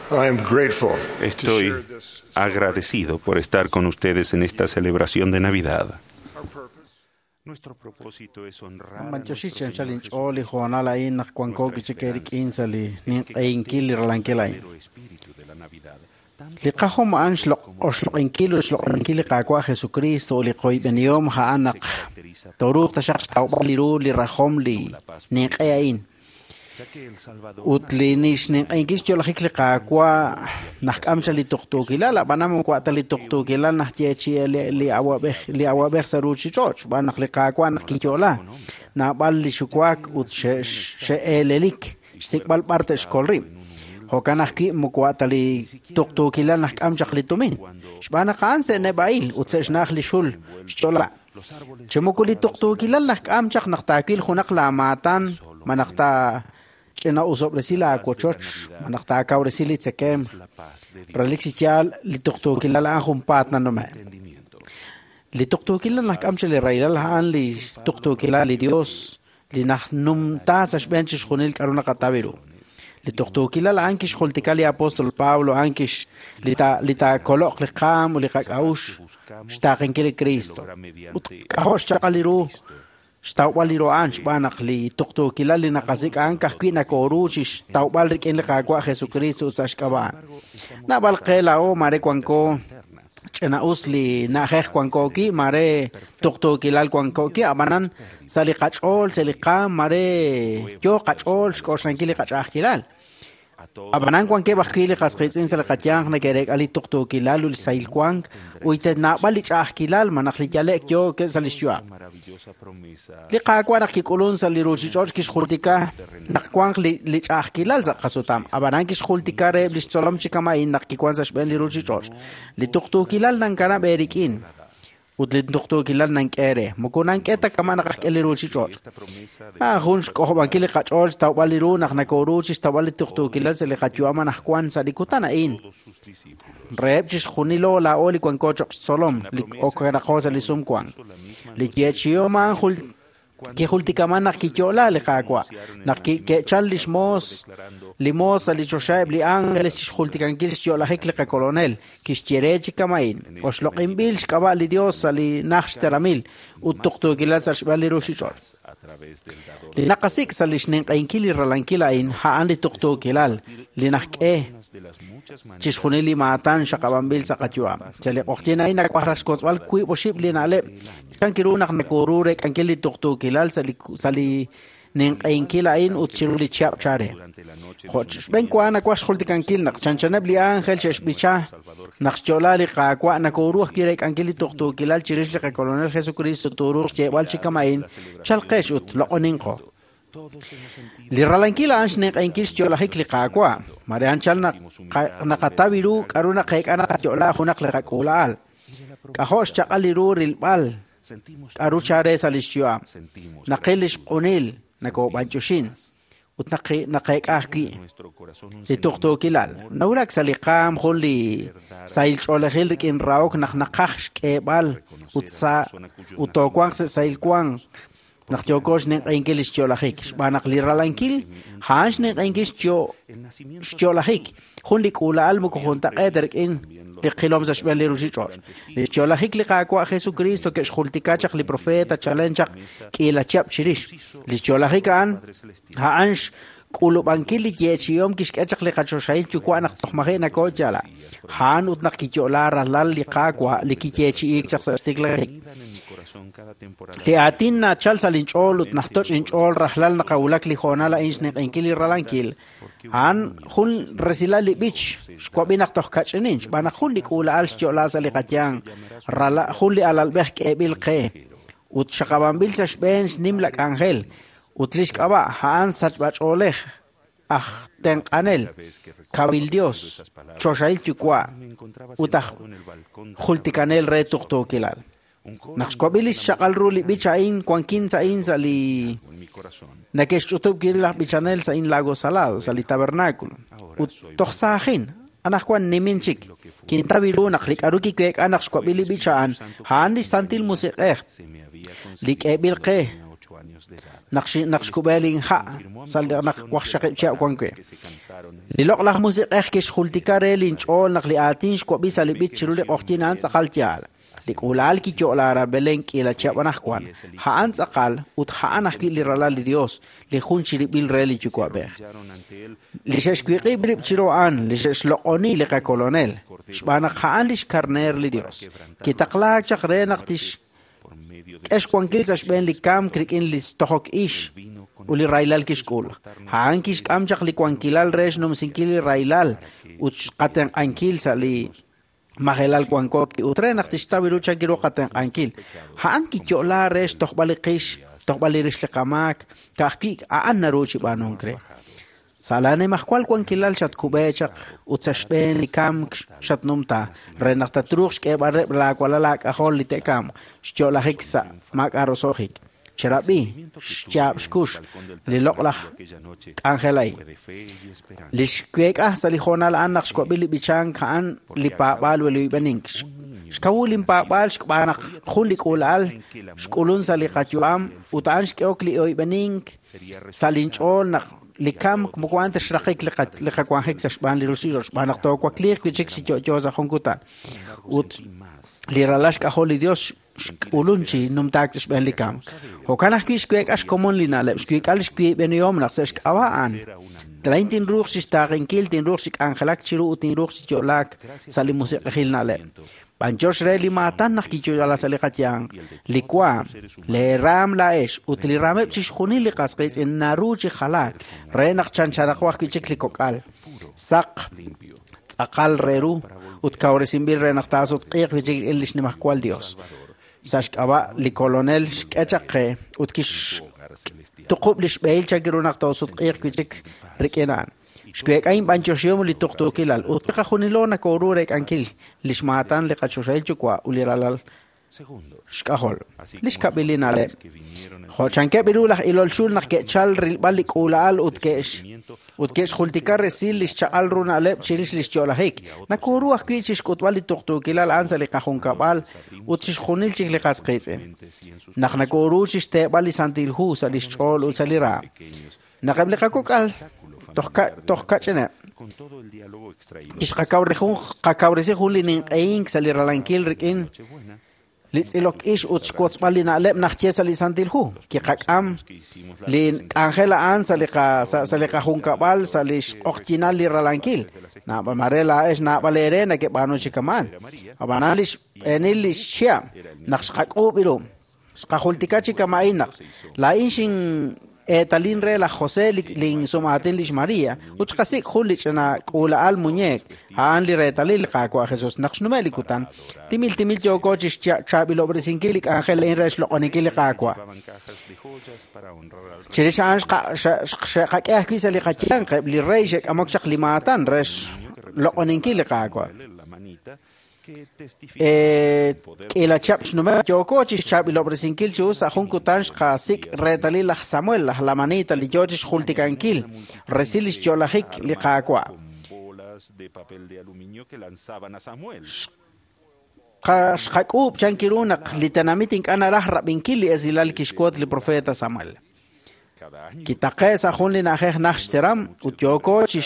I am grateful to Estoy share this agradecido por estar con ustedes en esta celebración de Navidad. Our purpose Nuestro propósito es honrar a Manchoxi nuestro chanchal Señor inch'ool li Jesucristo, hoonal a'in naq wanko nuestra kichik rik'in esperanza sa' li es que ninq'ehinkil li ralankil a'in. verdadero espíritu de la Navidad, tanto Li qajom a'an como oxloq'inkil ut xloq'oninkil li Qaawa' Jesucristo ut li qoyb'enihom a'an naq se caracteriza tooruuq taxaq xtawb'al li ru li rajom li ninq'e a'in. ya que el Salvador Ut li nixninq'ehinkil xyo'lajik li Qaawa' najk'am cha li tuqtuukilal, ab'anan moko ta li tuqtuukilal najyeechi li awab'ej li awab'ej sa' ruuchich'och' xb'aan naq li Qaawa' naq kiyo'la naab'al li xuwaak ut xe'eelelik xsik'b'al b'ar te'xkol rib'. Jo'kan ajwi' moko ta li tuqtuukilal najk'am chaq li tumin xb'aan naq a'an se'neb'a'il ut se'xna'aj li xul xch'ola. los árboles Chi moko li tuqtuukilal najk'am chaq naq taawil junaq laamaatan ma naq taa ch'ina'usob'resi laawochoch ma naq taakawresi li tzekem la paz de Dios, relik chi yaal li tuqtuukilal a'an junpaat nanume'. entendimiento. Li tuqtuukilal najk'am chaq li rahilal a'an li tuqtuukilal li Dios li najnumta sa' xb'een chixjunil k'a'ru naqataw ru. Li tuqtuukilal a'an kixjultika li apóstol Pablo a'an kix li ta li taakoloq li qaam ut li qak'a'uxl xtaaqenkil li Cristo. Ut k'ajo' xchaq'al li ru xtawb'al li ru a'an xb'aan naq li tuqtuukilal li naqasik' a'an ka'ajwi' nakooru chi xtawb'al rik'in li Qaawa' Jesucristo ut sa' xk'ab'a' a'an. Naab'al qe laa'o mare wanko ch'ina'us li na'ajej wanko wi', mare tuqtuukilal wanko wi', ab'anan sa' li qach'ool, sa' li qaam, mare yoo qach'ool xk'oxlankil li qach'a'ajkilal. A todos Ab'anan wankeb' ajwi' li qas qiitz'in sa' li qayanq neke'reek'a li tuqtuukilal ut li sahil wank ut naab'al li ch'a'ajkilal ma naq li yale'k yoo sa' li xyu'am. maravillosa promesa Li Qaawa' naq kik'ulun sa' li ruuchich'och' kixjultika naq wanq li, li ch'a'ajkilal sa' qasutam. Ab'anan kixjultika reheb' li xtzolom chi kama'in naq kiwan sa' xb'een li ruuchich'och'. Li tuqtuukilal nankanab' eerik'in ut li tuqtuukilal nank'e re. Moko nank'e ta kama' naq ajk'e li ruuchich'och'. esta promesa de Ah, jun xk'ojob'ankil li qach'ool xtawb'al li ru naq nakooru chi xtawb'al li tuqtuukilal sa' li qayu'am anaqwan sa' li kutan a'in. todos sus discípulos. Reheb' chixjunilo laa'o li wanko cho'q xtzolom li okenaqo sa' li sumwank. Li yeechi'om a'an jul kijultikaman naq kiyo'la li Qaawa', naq ke'chal li xmoos li moos sa' li choxa eb' li ángeles chixjultikankil xyo'lajik li qakolonel, kixye re chi kama'in, oxloq'inb'il xk'ab'a' li Dios sa' li naj xteramil ut tuqtuukilal sa' xb'een li ruuchich'och'. A través del dador Li naqasik' sa' li xninq'ehinkil li ralankil a'in a'an li tuqtuukilal, li najk'e unas de las muchas maneras chixjunil li maatan xaqab'anb'il sa' qayu'am. Sa' li q'oqyin a'in nawaj raj xkotzb'al wiib' oxib' li na'leb' chan kiru naq nakoru reek'ankil li tuqtuukilal sa' li sa' li ninq'ehinkil a'in ut chiru li chihab' chare. durante la noche Jo' xb'een wa nawaj xjultikankil naq chanchaneb' li ángel xe'xb'icha naq xyo'la li Qaawa' nakooru ajwi' reek'ankil li tuqtuukilal chirix li qakolonel Jesucristo tooruuq xyeeb'al chi kama'in chalqex ut loq'oninqo. todos hemos sentido Li ralankil a'an xninq'ehinkil xyo'lajik li Qaawa'. Mare anchal naq naqataw ru k'a'ru naqeek'a naqayo'la junaq li qak'uula'al. K'ajo' xchaq'al li ru rilb'al sentimos k'a'ru chare sa' li xyu'am. sentimos Naqil li xq'unil nakoob'anch'uxin ut naqeek'a ajwi' en nuestro corazón un li tuqtuukilal. Nawulak sa' li qaam jun li sahil ch'oolejil rik'in rahok naq naqaj xk'eeb'al ut sa' ut toowanq sa' sahil wank naq yooko xninq'ehinkil li xyo'lajik xb'aan naq li ralankil a'an xninq'ehinkil el nacimiento xyo'lajik jun li k'uula'al moko juntaq'eet rik'in li qilom sa' xb'een li ruuchich'och'. Li xyo'lajik li Qaawa' Jesucristo ke'xjultika chaq li profeta chalen chaq k'iila chihab' chirix. Li xyo'lajik a'an a'an xk'ulub'ankil li yeechi'om kixk'e chaq li qachoxahil yuwa' naq toj maji' nakooyala. A'an ut naq kiyo'la ralal li Qaawa' li kiyeechi'iik chaq sa' xtiklajik. anidan en mi corazón cada temporada Li aatin nachal sa' linch'ool ut najtoch' inch'ool rajlal naqawulak li hoonal a'in xninq'ehinkil li ralankil. A'an jun resilal li b'ich xwab'i naq toj kach'inin xb'aan naq jun li k'uula'al xyo'la sa' li qayanq, rala jun li alalb'ej k'eeb'il qe ut xaqab'anb'il sa' xb'een xnimla k'anjel ut li xk'ab'a' a'an sachb'ach'oolej aj tenq'anel, kawil Dios, choxahil yuwa' me encontraba ut aj sentado en el balcón del jultikanel re tuqtuukilal. un coro Naq xwab'i li xchaq'al ru li b'ich a'in wankin sa' in sa' li en mi corazón neke'xch'utub' kiri laj b'ichanel sa' in Lago Salado sa' li tabernáculo ut toj saajin anaqwan nimin chik kintaw ru naq li k'a'ru kiweek'a naq xwab'i li b'ich a'an a'an li Santil Musiq'ej se me había li k'eeb'il concedido qe cuando tenía 8 años de edad. Naq xkub'e linha' sa' naq waqxaqib' chihab' wan wi'. Li loq'laj musiq'ej kixjultika re linch'ool naq li aatin xwab'i sa' li b'ich chiru li q'oqyink a'an tz'aqal yaal. Li k'uula'al kiyo'la aran Belén k'iila chihab' anaqwan. A'an tz'aqal ut a'an ajwi' li ralal li Dios, li jun chirib'il re li Yuwa'b'ej. Li xe'xwiq'ib' rib' chiru a'an, li xe'xloq'oni li qakolonel, xb'aan naq a'an li xkarneer li Dios. Kitaqlaak chaq re naq tixk'e xwankil sa' xb'een li kamk rik'in li tojok ix ut li rahilal kixk'ul. A'an kixk'am chaq li wankilal re xnumsinkil li rahilal ut qatenq'ankil sa' li majelal wanko ut re naq tixtaw ru chan ru qatenq'ankil. A'an kiyo'la re xtojb'al li qix, xtojb'al li rix li qamaak, ka'ajwi' a'an naru chi b'aanunk re. Sa' laanimajwal wankilal xatkub'e chaq ut sa' xb'een li kamk xatnumta re naq tatruuq xk'eeb'al rib' laawalal aak'ajol li te'kamq xyo'lajik sa' maak'a' roso'jik. Cherab'i xyaab' xkux li loq'laj k'anjel a'in. Li xweek'a sa' li hoonal a'an naq xwab'i li b'ichank a'an li paab'aal ut li oyb'enink. Xkawu linpaab'aal xb'aan naq jun li k'uula'al xk'ulun sa' li qayu'am ut a'an xk'ehok li oyb'enink sa' linch'ool naq li kamk moko a'an ta xraqik li qawanjik sa' xb'aan li ruuchich'och' xb'aan naq toowakliiq wi' chik chi yo'yo sa' jun kutan. Ut li ralal xk'ajol li Dios xk'ulun chi numtaak sa' xb'een li kamk. Jo'kan ajwi' xweek'a xkomon li na'leb', xweek'a li xwiib'enihom naq sa' xk'ab'a' a'an. Laa'in tinruuq chi xtaaqenkil, tinruuq chi k'anjelak chiru ut tinruuq chi yo'laak sa' li musiq'ejil na'leb'. B'anyox re li maatan naq kiyo'la sa' li qayanq, li waam, leeraam laa'ex ut li raameb' chixjunil li qas qiitz'in naru chi jalaak re naq chanchanaqo ajwi' chik li kok'al. Saq, tz'aqal re ru ut kawresinb'il re naq taasutq'iiq wi' chik rik'in li xnimajwal Dios. Sa' xk'ab'a' li kolonel xk'e chaq qe ut kixtuqub' li xb'ehil chan ru naq toosutq'iiq wi' chik rik'in a'an. Xweek'a inb'anyoxihom li tuqtuukilal ut chiqajunilo nakoru reek'ankil li xmaatan li qachoxahil Yuwa' ut li ralal xk'ajol. Li xkab'il li na'leb'. Jo' chankeb' ru laj ilol xul naq ke'chal rilb'al li k'uula'al ut ke'xjultika resil li xchaq'al ru na'leb' chirix li xyo'lajik. Nakoru ajwi' chixk'utb'al li tuqtuukilal a'an sa' li qajunkab'al ut chixjunil chik li qas qiitz'in. Naq nakoru chixteeb'al li Santil Hu sa' li xch'ool ut sa' li raam. Naq eb' li qakok'al toj kach'ineb'. Kixqakawresi jun li ninq'ehink sa' li ralankil rik'in li tz'ilok ix ut xwotzb'al li na'leb' naq ye sa' li Santil Hu. Kiqak'am li k'anjel a'an sa' li qajunkab'al sa' li xq'oqyinal li ralankil. Mare laa'ex naab'al eere nakeb'aanu chi kama'an. Ab'anan li xb'eenil li xchihab' naq xqak'uub' ru. Xqajultika chi kama'in naq laa'in xin eetalin re laj José linsum'aatin lix María ut xqasik' jun li ch'ina k'uula'al muñeek a'an li reetalil li Qaawa' Jesús. Naq xnume' li kutan, timil timil yooko chi xchaab'ilob'resinkil li k'anjel a'in re xloq'oninkil li Qaawa'. Chirix a'an xe'qak'e ajwi' sa' li qayanq eb' li rey xe'k'amok chaq li maatan re xloq'oninkil li Qaawa'. K'iila chihab' xnume' yooko chi xchaab'ilob'resinkil chi us sa' jun kutan xqasik' reetalil laj Samuel, laj Lamanita, li yoo chi xjultikankil resil li xyo'lajik li Qaawa'. Xqak'uub' chan ru naq li tenamit ink'a' naraj rab'inkil li esilal kixwot li profeta Samuel. Kitaqe' sa' jun li na'ajej naj xteram ut yooko chi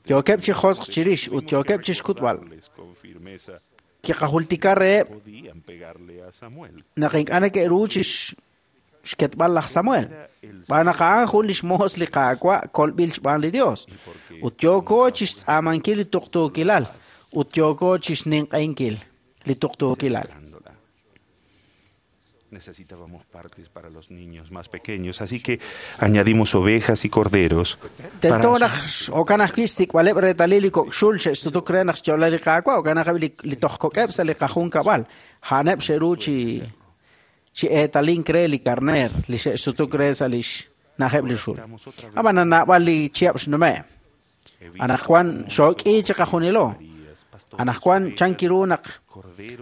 yookeb' chi josq chirix ut yookeb' chi xkutb'al. Kiqajultika reheb' naq ink'a' neke'ru chi xketb'al laj Samuel. Xb'aan naq a'an jun li xmoos li Qaawa' kolb'il xb'aan li Dios. Ut yooko chi xtz'aamankil li tuqtuukilal ut yooko chi xninq'ehinkil li tuqtuukilal. Necesitábamos partes para los niños más pequeños, así que añadimos ovejas y corderos. Tento naq jo'kan ajwi' xsik'b'aleb' reetalil li kok' xul xe'xsutuk re naq xyo'la li Qaawa', jo'kan ajwi' li toj kok'eb' sa' li qajunkab'al. A'aneb' xe'ru chi eetalink re li karneer li xe'xsutuk re sa' li xna'ajeb' li xul. Ab'anan naab'al li chihab' xnume'. Anaqwan xook'i chi qajunilo. Anaqwan chan kiru naq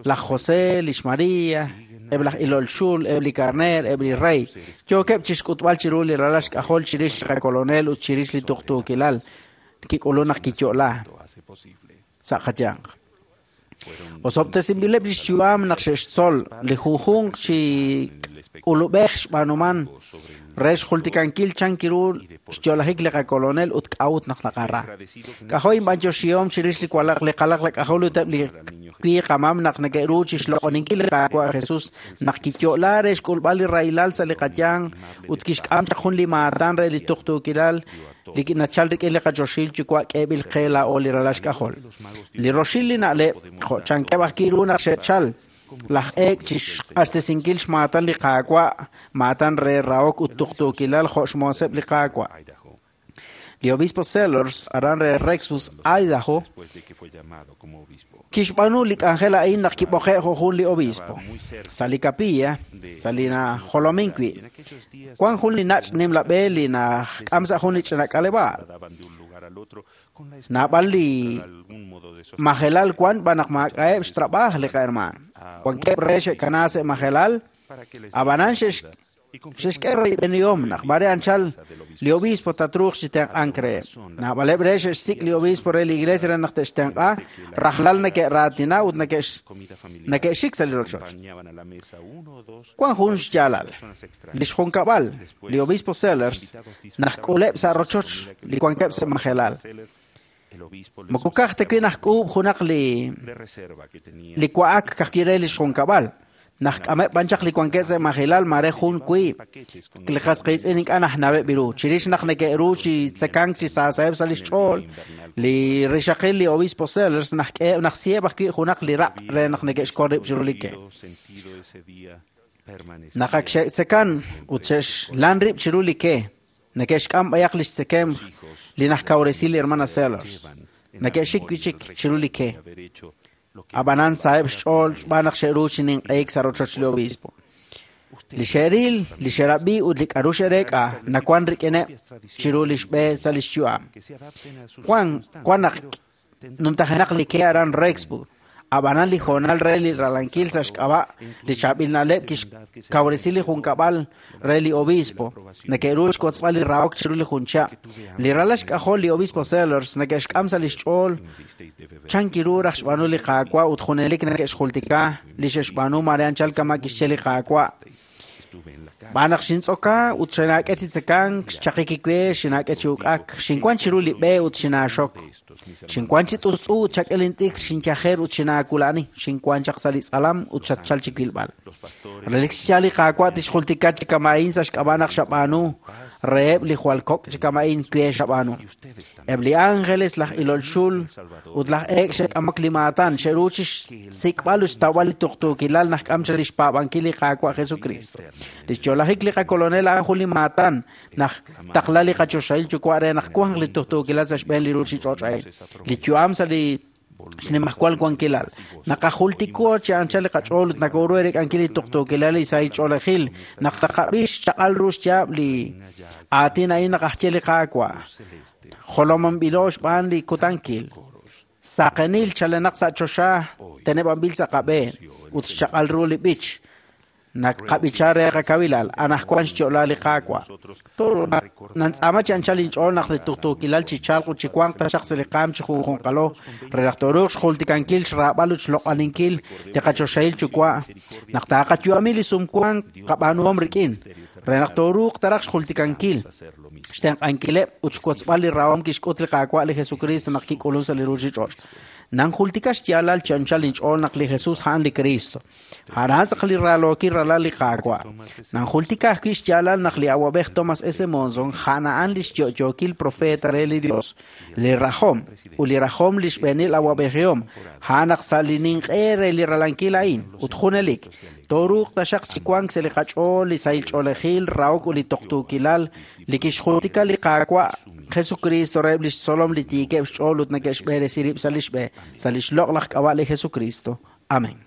laj José, lix María, eb' laj ilol xul, eb' li karneer, eb' li rey, yookeb' chi xk'utb'al chiru li ralal xk'ajol chirix li qakolonel ut chirix li tuqtuukilal kik'ulun naq kiyo'la sa' qayanq. Osob'tesinb'ileb' lix yu'am naq xe'xtzol li junjunq chi k'ulub'ej xb'aanuman re xjultikankil chan kiru xyo'lajik li qakolonel ut k'a'ut naq naqara. K'ajo' inb'antioxihom chirix li walaq li qalaq lak'ajol ut eb' li wi qamam naq neke'ru chixloq'oninkil li Qaawa' Jesus naq kiyo'la re xk'ulb'al li rahilal sa' li qayanq ut kixk'am chaq jun li maatan re li tuqtuukilal li nachal rik'in li qachoxil yuwa' k'eeb'il qe laa'o li ralal xk'ajol. Li roxil li na'leb' jo' chankeb' aj kiru naq xe'chal laj eek' chixq'axtesinkil xmaatan li Qaawa', maatan re rahok ut tuqtuukilal jo' xmooseb' li Qaawa'. Li obispo Sellers aran re Rexburg, Idaho, Después de que fue llamado como obispo. kixb'aanu li k'anjel a'in naq kib'oqe' jo' jun li obispo. Sa' li capilla, sa' li najolomin wi', En aquellos días wan jun li nach' nimla b'e li najk'am sa' jun li ch'ina k'aleb'aal. daban de un lugar al otro con la Naab'al li esperanza de algún modo de sostener majelal wan b'an naq maak'a'eb' xtrab'aaj li qahermaan. Wankeb' re xe'kana sa' majelal, para que les ab'anan diera xe'x ayuda y con xe'xk'e royb'enihom naq mare anchal li obispo tatruuq chi tenq'ank reheb'. Naab'aleb' re xe'xsik' li obispo re li iglesia re naq te'xtenq'a, rajlal neke'raatina ut neke'x comida familiar neke'xik sa' li rochoch. acompañaban a la mesa uno o dos Wan jun xyaalal. personas extrañas. Li xjunkab'al, li obispo Sellers, naq k'uleb' sa' rochoch li wankeb' sa' majelal. Seller, el obispo les Moko kaj ta wi naj k'uub' junaq li de reserva que tenía li wa'ak kajwi' re li xjunkab'al. Naj k'ameb' b'an chaq li wankeb' sa' majelal mare jun wiib'. paquetes con Li qas qiitz'in ink'a' najnaweb' ru. Chirix naq neke'ru chi tzekank chi saasaheb' sa' li xch'ool, li rixaqil li obispo Sellers najk'e najsieb' ajwi' junaq li raq' re naq neke'xkol rib' chiru li ke. habido sentido ese día permanecía Naq ak xe'tzekan ut xe'xlan rib' chiru li ke, neke'xk'am b'ayaq li xtzekem li najkawresi li hermana Sellers. Neke'xik wi' chik chiru li ke. haber hecho lo que Ab'anan saheb' xch'ool xb'aan naq xe'ru chi ninq'eek sa' rochoch li obispo. Li xe'ril, li xe'rab'i ut li k'aru xe'reek'a nawan rik'ineb' chiru li xb'e sa' li xyu'am. que se adapten a sus Juan, circunstancias, wan naq pero numtajenaq li ke aran Rexburg. Ab'anan li hoonal re li ralankil sa' xk'ab'a' li chaab'il na'leb' kixkawresi li junkab'al re li obispo. Neke'ru xkotzb'al li rahok chiru li jun chab'. Li ralal xk'ajol li obispo Sellers neke'xk'am sa' li xch'ool visteis de beber chan kiru raj xb'aanu li Qaawa' ut junelik neke'xjultika li xe'xb'aanu mare anchal kama' kixye li Qaawa'. estuve en la calle B'aan naq xintz'oka ut xinaak'e chi tzekank, xchaqik iwe, xinaak'e chi uk'ak, xinwan chiru li b'e ut xinaaxok. de estos mis hermanos Xinwan chi t'ust'u ut xak'e lint'ik, xinyajer ut xinaakula'ani, xinwan chaq sa' li tz'alam ut xatchal chi wilb'al. los pastores Relik xyaal li Qaawa' tixjultika chi kama'in sa' xk'ab'a' naq xab'aanu reheb' li jwal kok' chi kama'in kwe xab'aanu. y ustedes también Eb' li ángeles, laj ilol xul ut laj eek' xe'k'amok li maatan, xe'ru chi xsik'b'al ut xtawb'al li tuqtuukilal naq k'am chaq li xpaab'ankil li Qaawa' Jesucristo. Li xyo'lajik li qakolonel a'an jun li maatan naq taqla li qachoxahil yuwa' re naq wanq li tuqtuukilal sa' xb'een li ruuchich'och' a'in. Li yu'am sa' li xnimajwal wankilal. Naqajultiko chi anchal li qach'ool ut nakoru erek'ankil li tuqtuukilal li sahil ch'oolejil. Naq taqab'i xchaq'al ru xyaab' li aatin a'in naqajye li Qaawa'. celeste Jolomanb'ilo xb'aan li kutankil. Saqenil chalenaq sa' choxa teneb'anb'il sa' qab'een ut xchaq'al ru li b'ich. Naqab'icha re qakawilal anaqwan xyo'la li Qaawa'. Toro nantz'aama chi anchal inch'ool naq li tuqtuukilal chi chalq ut chi wanq taxaq sa' li qaam chi junjunqalo re naq tooruuq xjultikankil xraab'al ut xloq'aninkil li qachoxahil yuwa' naq taaqayu'ami li sumwank qab'aanuhom rik'in re naq tooruuq taraj xjultikankil hacer lo mismo xtenq'ankileb' ut xwotzb'al li rahom kixk'ut li Qaawa' li Jesucristo naq kik'ulun sa' li ruuchich'och'. Nanjultika xyaalal chi anchal inch'ool naq li Jesus a'an li Cristo. A'an tz'aq li ralookil ralal li Qaawa'. Nanjultika ajwi' xyaalal naq li awab'ej Thomas S. Monson a'an a'an li xyo'yookil profeta re li Dios, li rajom ut li rajom li xb'eenil awab'ejihom, a'an naq sa' li ninq'e re li ralankil a'in ut junelik tooruuq taxaq chi wank sa' li qach'ool li sahil ch'oolejil, rahok ut li tuqtuukilal li kixjultika li Qaawa' Jesucristo reheb' li xtzolom li tiikeb' xch'ool ut neke'xb'eresi rib' sa' li xb'e, sa' li xloq'laj k'ab'a' li Jesucristo. Amén.